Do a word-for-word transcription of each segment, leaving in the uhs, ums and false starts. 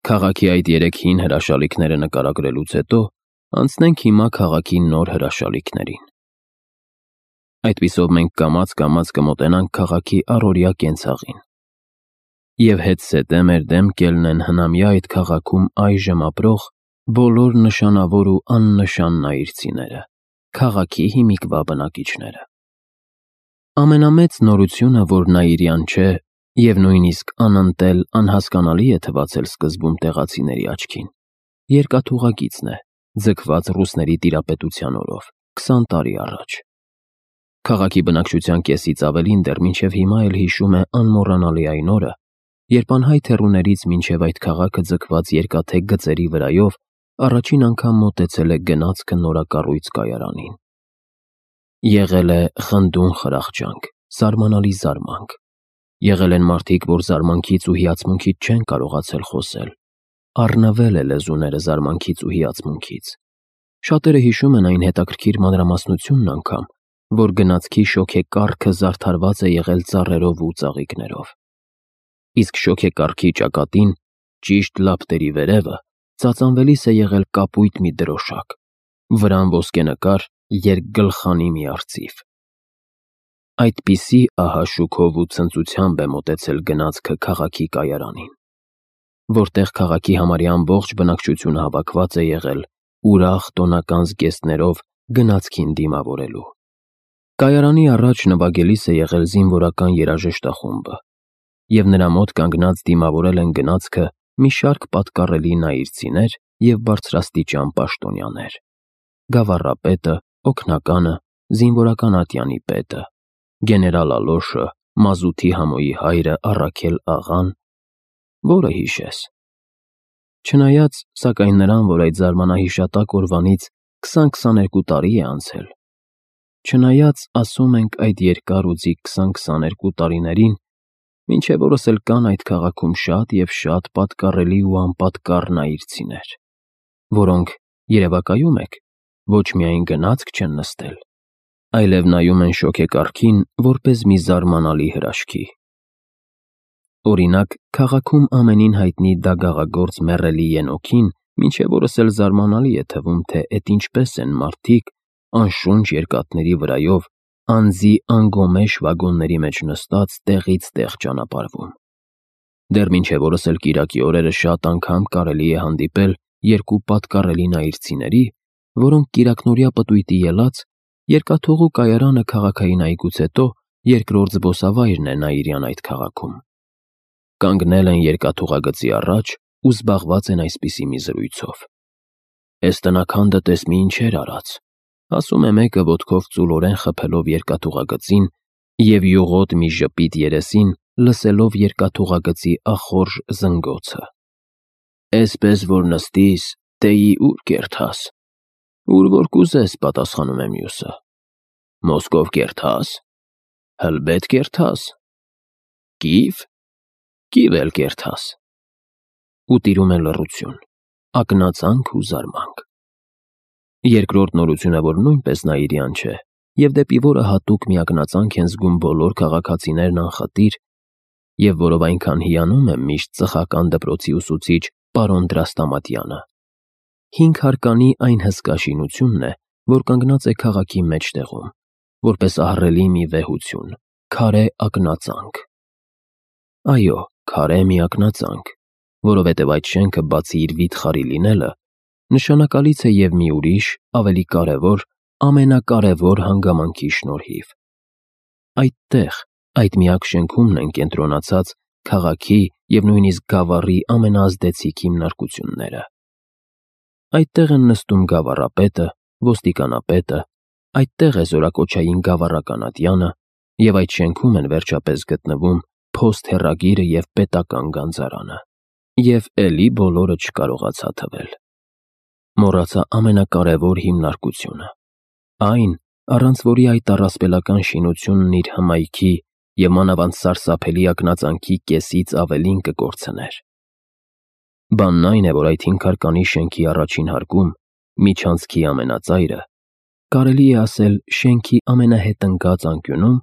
Քաղաքի այդ երեք հին հրաշալիքները նկարագրելուց հետո անցնենք հիմա քաղաքի նոր հրաշալիքներին։ Այդպիսով մենք կամաց-կամաց կմոտենանք քաղաքի առօրյա կենցաղին։ Եվ հետզհետե մեր դեմ կելնեն հնամյա այդ քաղաքում այժմ ապրող բոլոր նշանավոր ու աննշան նայիրցիները, քաղաքի հիմիկվա բնակիչները։ Ամենամեծ նորությունը, որ նայիրյան չէ և նույնիսկ անընտել, անհասկանալի է թվացել սկզբում տեղացիների աչքին, երկաթուղագիծն է, ձգված ռուսների տիրապետության օրով, քսան տարի առաջ։ Քաղաքի բնակչության կեսից ավելին դեռ մինչև հիմա էլ հիշում է անմոռանալի այն օրը, երբ անհայտ հեռուներից մինչև այդ քաղաքը ձգված երկաթե գծերի վրայով առաջին անգամ մոտեցել է գնացքը նորակառույց կայարանին։ Եղել է խնդուն խրախճանք, զարմանալի զարմանք։ Եղել են մարդիկ, որ զարմանքից ու հիացմունքից չեն կարողացել խոսել, առնվել է լեզուները զարմանքից ու հիացմունքից։ Շատերը հիշում են այն հետաքրքիր մանրամասնությունն անգամ, որ գնացքի շոգեկառքը զարդարված է եղել ծառերով ու ծաղիկներով։ Իսկ շոգեկառքի ճակատին, ճիշտ լապտերի վերևը, ծածանվելիս է եղել կապույտ մի դրոշակ, վրան ոսկենկար, երկգլխանի մի արծիվ։ Այդպիսի ահաշուքով ու ցնծությամբ է մոտեցել գնացքը քաղաքի կայարանին, որտեղ քաղաքի համարյա ամբողջ բնակչությունը հավաքված է եղել ուրախ տոնական զգեստներով գնացքին դիմավորելու։ Կայարանի առաջ նվագելիս է եղել զինվորական երաժշտախումբը, և նրա մոտ կանգնած դիմավորել են գնացքը մի շարք պատկառելի նայիրցիներ և բարձրաստիճան պաշտոնյաներ՝ գավառապետը, օգնականը, զինվորական ատյանի պետը, գեներալ Ալոշը, մազութի համոյի հայրը Առաքել աղան, որը հիշես։ Չնայած, սակայն նրան, որ այդ զարմանահիշատակ օրվանից քսան-քսաներկու տարի է անցել, չնայած, ասում ենք, այդ երկար ու ձիգ քսան-քսաներկու տարիներին, մինչև օրս էլ կան այդ քաղաքում շատ և շատ պատկառելի ու անպատկառ նայիրցիներ, որոնք, երևակայում եք, ոչ միայն գնացք չեն նստել, այլև նայում են շոգեկառքին որպես մի զարմանալի հրաշքի։ Օրինակ, քաղաքում ամենին հայտնի դագաղագործ մեռելի Ենոքին մինչև օրս էլ զարմանալի է թվում, թե էդ ինչպես են մարդիկ անշունչ երկաթների վրայով անձի անգոմեշ վագոնների մեջ նստած տեղից տեղ ճանապարհվում։ Դեռ մինչև օրս էլ կիրակի օրերը շատ անգամ կարելի է հանդիպել երկու պատկառելի նայիրցիների, որոնք կիրակնօրյա պտույտի ելած երկաթուղու կայարանը քաղաքային այգուց հետո երկրորդ զբոսավայրն է նայիրյան այդ քաղաքում։ Կանգնել են երկաթուղագծի առաջ ու զբաղված են այսպիսի մի զրույցով. «Էս տնաքանդը տես մի ինչեր արած», ասում է մեկը ոտքով ծուլորեն խփելով երկաթուղագծին և յուղոտ մի ժպիտ երեսին լսելով երկաթուղագծի ախորժ զնգոցը։ «Էսպես որ նստիս, տեյի ուր կերթաս»։ «Ուր որ կուզես», պատասխանում է մյուսը։ «Մոսկով կերթաս»։ «Հլբետ կերթաս»։ «Կիև»։ «Կիև էլ կերթաս»։ Ու տիրում է լռություն, ակնածանք ու զարմանք։ Երկրորդ նորությունը, որ նույնպես նայիրյան չէ, և դեպի որը հատուկ մի ակնածանք են զգում բոլոր քաղաքացիներն անխտիր, և որով այնքան հիանում է միշտ ծխական դպրոցի ուսուցիչ պարոն Դրաստամատյանը, հինգ հարկանի այն հսկա շինությունն է, որ կանգնած է քաղաքի մեջտեղում, որպես ահռելի մի վեհություն, քարե ակնածանք։ Այո, քարե մի ակնածանք, որովհետև այդ շենքը բացի իր վիթխարի լինելը, նշանակալից է և մի ուրիշ, ավելի կարևոր, ամենակարևոր հանգամանքի շնորհիվ։ Այդտեղ, այդ միակ շենքումն են կենտրոնացած քաղաքի և նույնիսկ գավառի ամենաազդեցիկ հիմնարկությունները։ Այդտեղ են նստում գավառապետը, ոստիկանապետը, այդտեղ է զորակոչային գավառական ատյանը, և այդ շենքում են վերջապես գտնվում փոստ-հեռագիրը և պետական գանձարանը։ Եվ էլի բոլորը չկարողացա թվել։ Մոռացա ամենակարևոր հիմնարկությունը, այն, առանց որի այդ առասպելական շինությունն իր հմայքի և մանավանդ սարսափելի ակնածանքի կեսից ավելին կկորցներ։ Բանն այն է, որ այդ հինգհարկանի շենքի առաջին հարկում, միջանցքի ամենածայրը, կարելի է ասել շենքի ամենահետնկած անկյունում,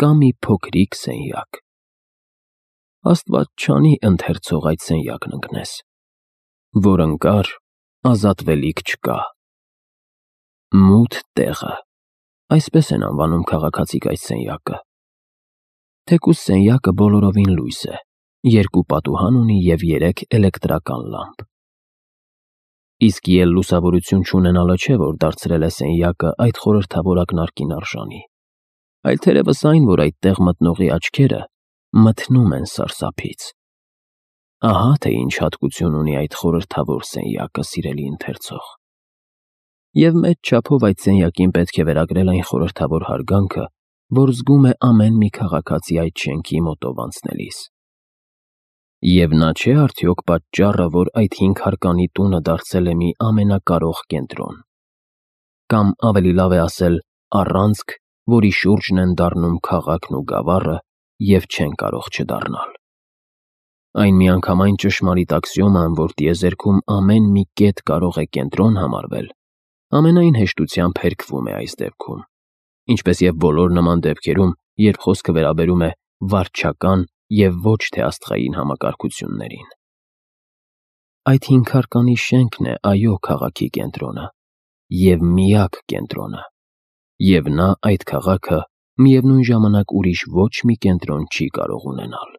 կա մի փոքրիկ սենյակ։ Աստված չանի ընթերցող այդ սենյակն ընկնես։ որ ընկար, ազատվելիք չկա։ Մութ տեղը, այսպես են անվանում քաղաքացիք այս սենյակը։ Թեկուզ սենյակը բոլորովին լույս է, երկու պատուհան ունի և երեք էլեկտրական լամպ։ Իսկ ել լուսավորություն չունենալը չէ, որ դարձրել է սենյակը այդ խորհրդավոր ակնարկին արժանի, այլ թերևս այն, որ այդտեղ մտնողի աչքերը մթնում են սարսափից։ Ահա թե ինչ հատկություն ունի այդ խորհրդավոր սենյակը, սիրելի ընթերցող։ Եվ մեծ չափով այդ սենյակին պետք է վերագրել այն խորհրդավոր հարգանքը, որ զգում է ամեն մի քաղաքացի այդ շենքի մոտով անցնելիս։ Եվ նա չէ արդյոք պատճառը, որ այդ հինգ հարկանի տունը դարձել է մի ամենակարող կենտրոն, կամ ավելի լավ է ասել առանցք, որի շուրջն են դառնում քաղաքն ու գավառը և չեն կարող չդառնալ։ Այն միանգամայն ճշմարիտ աքսիոման, որ տիեզերքում ամեն մի կետ կարող է կենտրոն համարվել, ամենայն հեշտությամբ հերքվում է այս դեպքում, ինչպես և բոլոր նման դեպքերում, երբ խոսքը վերաբերում է վարչական և ոչ թե աստղային համակարգություններին։ Այդ հինգ հարկանի շենքն է, այո, քաղաքի կենտրոնը և միակ կենտրոնը, և նա այդ քաղաքը միևնույն ժամանակ ուրիշ ոչ մի կենտրոն չի կարող ունենալ։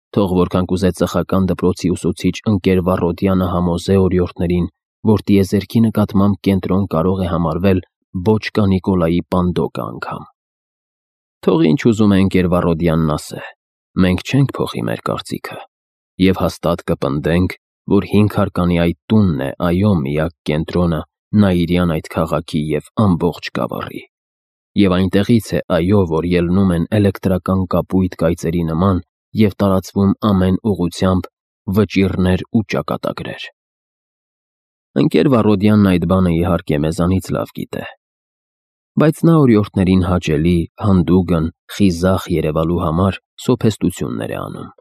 Թող որքան կուզե ծխական դպրոցի ուսուցիչ ընկեր Վառոդյանը համոզե օրիորդներին, որ տիեզերքի նկատմամբ կենտրոն կարող է համարվել Բոչկա Նիկոլայի Պանդոկը անգամ։ Թող ինչ ուզում է ընկեր Վառոդյանն ասե, մենք չենք փոխի մեր կարծիքը, և հաստատ կպնդենք, որ հինգ հարկանի այդ տունն է, այո, միակ կենտրոնը Նաիրյան այդ քաղաքի և ամբողջ գավառի, և այնտեղից է, այո, որ ելնում են էլեկտրական կապույտ կայծերի նման և տարածվում ամեն ուղղությամբ վճիռներ ու ճակատագրեր։ Ընկեր Վառոդյանն այդ բանը իհարկե մեզանից լավ գիտե, բայց նա օրիորդներին հաճելի, հանդուգն, խիզախ երևալու համար սոփեստություններ է անում։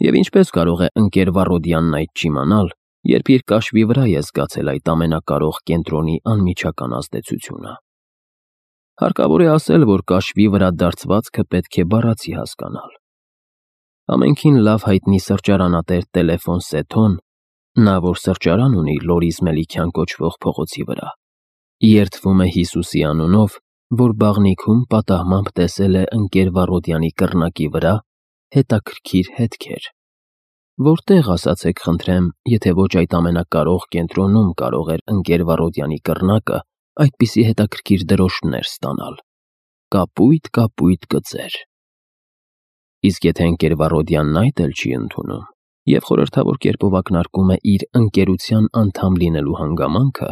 Եվ ինչպես կարող է ընկեր Վառոդյանն այդ չիմանալ, երբ իր կաշվի վրա է զգացել այդ ամենակարող կենտրոնի անմիջական ազդեցությունը։ Հարկավոր է ասել, որ կաշվի վրա դարձվածքը պետք է բառացի հասկանալ։ Ամենքին լավ հայտնի սրճարանատեր Տելեֆոն Սեթոն, նա, որ սրճարան ունի Լորիս Մելիքյան կոչվող փողոցի վրա, երդվում է Հիսուսի անունով, որ բաղնիքում պատահմամբ տեսել է ընկեր Վառոդյանի կռնակի վրա հետաքրքիր հետքեր։ Որտե՞ղ, ասացեք խնդրեմ, եթե ոչ այդ ամենակարող կենտրոնում կարող էր ընկեր Վառոդյանի կռնակը այդպիսի հետաքրքիր դրոշտներ ստանալ, կապույտ, կապույտ գծեր։ Իսկ եթե ընկեր Վառոդյանն այդ էլ չի ընդունում և խորհրդավոր կերպով ակնարկում է իր ընկերության անդամ լինելու հանգամանքը,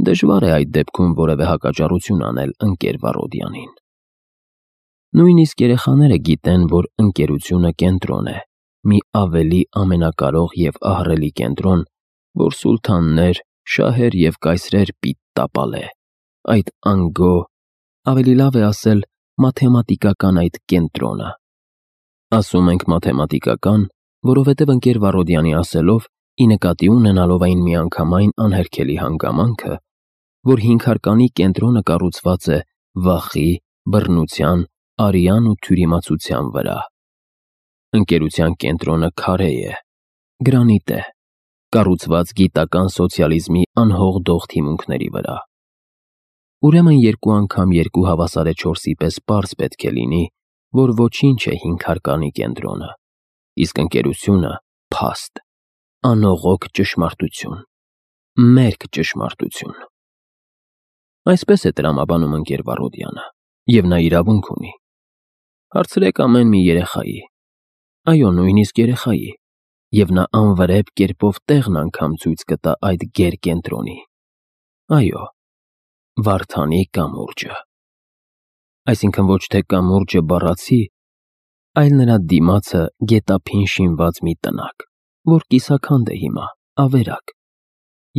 դժվար է այդ դեպքում որևէ հակաճառություն անել ընկեր Վառոդյանին։ Նույնիսկ երեխաները գիտեն, որ ընկերությունը կենտրոն է, մի ավելի ամենակարող և ահռելի կենտրոն, որ սուլթաններ, շահեր և կայսրեր պիտի տապալե, այդ անգո, ավելի լավ է ասել մաթեմատիկական այդ կենտրոնը։ Ասում ենք մաթեմատիկական, որովհետև ընկեր Վառոդյանի ասելով, ի նկատի ունենալով այն միանգամայն անհերքելի հանգամանքը, որ հինգ հարկանի կենտրոնը կառուցված է վախի, բռնության, արյան ու թյուրիմացության վրա։ Ընկերության կենտրոնը քարե է, գրանիտ է, կառուցված գիտական սոցիալիզմի անհողդող թիմունքների վրա։ Ուրեմն երկու անգամ երկու հավասար է չորսի պես պարզ պետք է լինի, որ ոչինչ է հինգ հարկանի կենտրոնը, իսկ ընկերությունը փաստ, անողոք ճշմարտություն, մերկ ճշմարտություն։ Այսպես է տրամաբանում ընկեր Վառոդյանը, և նա իրավունք ունի։ Հարցրեք ամեն մի երեխայի, այո, նույնիսկ երեխայի, և նա անվրեպ կերպով տեղն անգամ ցույց կտա այդ գերկենտրոնի։ Այո, Վարդանի կամուրջը։ Այսինքն ոչ թե կամուրջը բառացի, այլ նրա դիմացը գետափին շինված մի տնակ, որ կիսաքանդ է հիմա, ավերակ,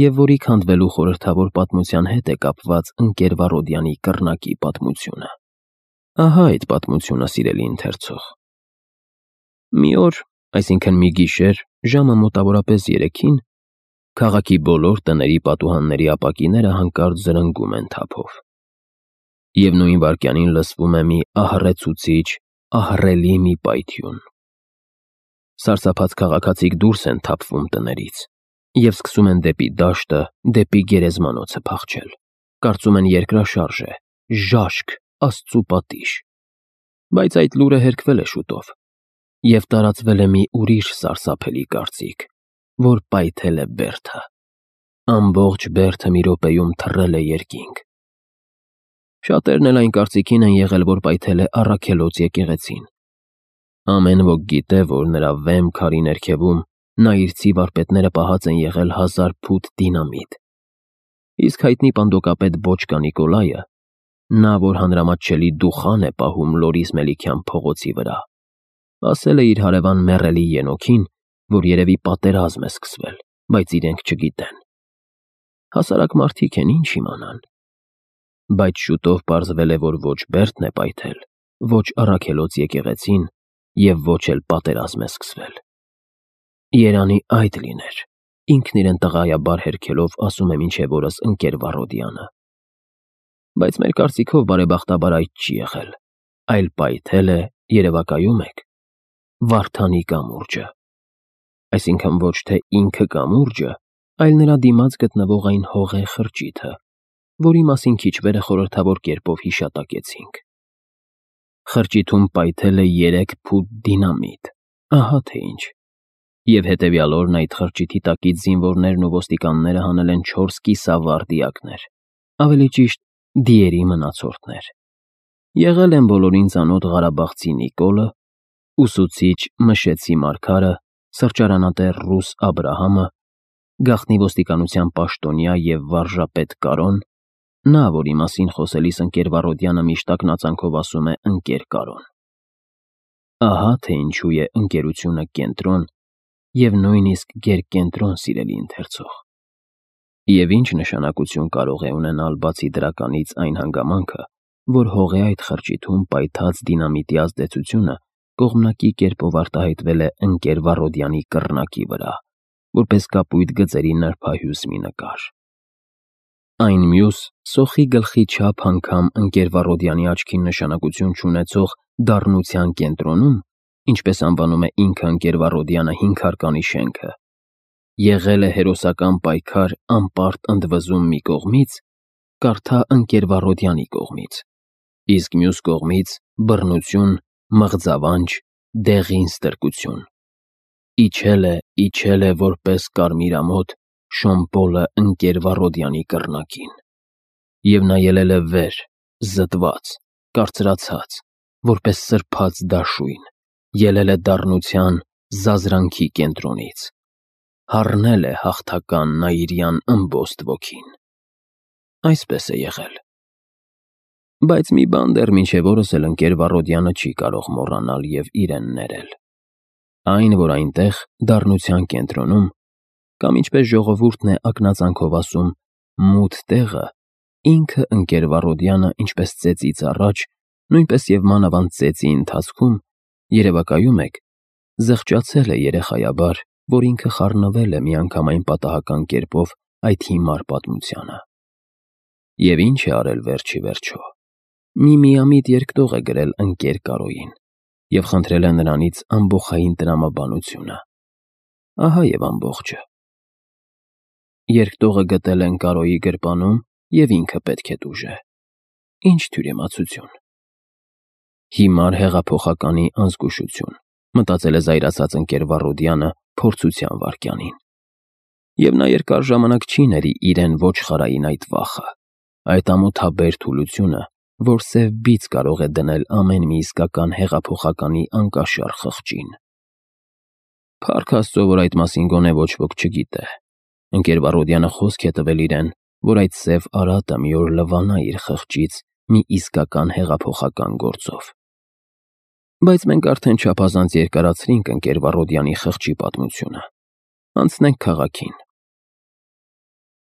և որի քանդվելու խորհրդավոր պատմության հետ է կապված ընկեր Վառոդյանի կռնակի պատմությունը։ Ահա այդ պատմությունը, սիրելի ընթերցող։ Մի օր, այսինքն մի գիշեր, ժամը մոտավորապես երեքին, քաղաքի բոլոր տների պատուհանների ապակիները հանկարծ զրնգում են թափով։ Եվ նույն վայրկյանին լսվում է մի ահռեցուցիչ, ահռելի մի պայթյուն։ Սարսափած քաղաքացիք դուրս են թափվում տներից և սկսում են դեպի դաշտը, դեպի գերեզմանոցը փախչել։ Կարծում են երկրաշարժ է, ժաշկ, Աստծու պատիժ։ Բայց այդ լուրը հերկվել է շուտով, և տարածվել է մի ուրիշ սարսափելի կարծիք, որ պայթել է բերդը։ Ամբողջ բերդը մի րոպեում թռել է երկինք։ Շատերն էլ այն կարծիքին են եղել, որ պայթել է Առաքելոց եկեղեցին։ Ամեն ոք գիտե, որ նրա վեմ քարի ներքևում նայիրցի վարպետները պահած են եղել հազար փութ դինամիտ։ Իսկ հայտնի պանդոկապետ Բոչկա Նիկոլայը, նա, որ հանրամատչելի դուխան է պահում Լորիս Մելիքյան փողոցի վրա, ասել է իր հարևան մեռելի ենոքին, որ երևի պատերազմ է սկսվել, բայց իրենք չգիտեն։ Հասարակ մարդիկ են, ինչ իմանան։ Բայց շուտով պարզվել է, որ ոչ բերդն է պայթել, ոչ Առաքելոց եկեղեցին և ոչ էլ պատերազմ է սկսվել։ Երանի այդ լիներ, ինքն իրեն տղայաբար հերքելով ասում է մինչև օրս ընկեր Վառոդյանը։ Բայց մեր կարծիքով բարեբախտաբար այդ չի եղել, այլ պայթել է, երևակայում եք, Վարդանի կամուրջը։ Այսինքն ոչ թե ինքը կամուրջը, այլ նրա դիմաց գտնվող այն հողե խրճիթը, որի մասին քիչ վեր խորհրդավոր կերպով հիշատակեցինք։ Խրճիթում պայթել է երեք փութ դինամիտ, ահա թե ինչ։ Եվ հետևյալ օրն այդ խրճիթի տակից զինվորներն ու ոստիկանները հանել են չորս կիսավարտիակներ, ավելի ճիշտ դիերի մնացորդներ։ Եղել են բոլորին ծանոթ Ղարաբաղցի Նիկոլը, ուսուցիչ Մշեցի Մարգարը, սրճարանատեր ռուս Աբրահամը, գաղտնի ոստիկանության պաշտոնյա և վարժապետ Կարոն, նա, որի մասին խոսելիս ընկեր Վառոդյանը միշտ ակնածանքով ասում է ընկեր Կարոն։ Ահա թե ինչու է ընկերությունը կենտրոն և նույնիսկ գերկենտրոն, սիրելի ընթերցող։ Եվ ինչ նշանակություն կարող է ունենալ բացի դրականից այն հանգամանքը, որ հողե այդ խրճիթում պայթած դինամիտի ազդեցությունը կողմնակի կերպով արտահայտվել է ընկեր Վառոդյանի կռնակի վրա, որպես կապույտ գծերի նրբահյուս մի նկար։ Այն մյուս, սոխի գլխի չափ անգամ ընկեր Վառոդյանի աչքին նշանակություն չունեցող դառնության կենտրոնում, ինչպես անվանում է ինքը ընկեր Վառոդյանը հինգհարկանի շենքը, եղել է հերոսական պայքար անպարտ ընդվզում մի կողմից, կարդա ընկեր Վառոդյանի կողմից, իսկ մյուս կողմից բռնություն, մղձավանջ, դեղին ստրկություն։ Իջել է, իջել է որպես կարմիր ամոթ Շոմպոլը ընկեր Վառոդյանի կռնակին, և նա ելել է վեր, զտված, կարծրացած, որպես սրբած դաշույն, ելել է դառնության, զազրանքի կենտրոնից, հառնել է հաղթական նայիրյան ըմբոստ ոգին։ Այսպես է եղել։ Բայց մի բան դեռ մինչև օրս էլ ընկեր Վառոդյանը չի կարող մոռանալ և իրեն ներել։ Այն, որ այնտեղ, դառնության կենտրոնում, կամ ինչպես ժողովուրդն է ակնածանքով ասում, մութ տեղը, ինքը ընկեր Վառոդյանը, ինչպես ծեծից առաջ, նույնպես և մանավանդ ծեծի ընթացքում, երևակայում եք, զղջացել է երեխայաբար, որ ինքը խառնվել է միանգամայն պատահական կերպով այդ հիմար պատմությանը։ Եվ ինչ է արել վերջի վերջո։ Մի միամիտ երկտող է գրել ընկեր Կարոյին և խնդրել է նրանից ամբոխային տրամաբանությունը։ Ահա և ամբողջը։ Երկտողը գտել են Կարոյի գրպանում և ինքը պետք է տուժե։ Ինչ թյուրիմացություն։ Հիմար հեղափոխականի անզգուշություն, մտածել է զայրացած ընկեր Վառոդյանը փորձության վայրկյանին։ Եվ նա երկար ժամանակ չի ների իրեն ոչխարային այդ վախը, այդ ամոթաբեր թուլությունը, որ սև բիծ կարող է դնել ամեն մի իսկական հեղափոխականի անկաշառ խղճին։ Փառք Աստծո, որ այդ մասին գոնե ոչ ոք չգիտե։ Ընկեր Վառոդյանը խոսք է տվել իրեն, որ այդ սև արատը մի օր լվանա իր խղճից մի իսկական հեղափոխական գործով։ Բայց մենք արդեն չափազանց երկարացրինք ընկեր Վառոդյանի խղճի պատմությունը։ Անցնենք քաղաքին։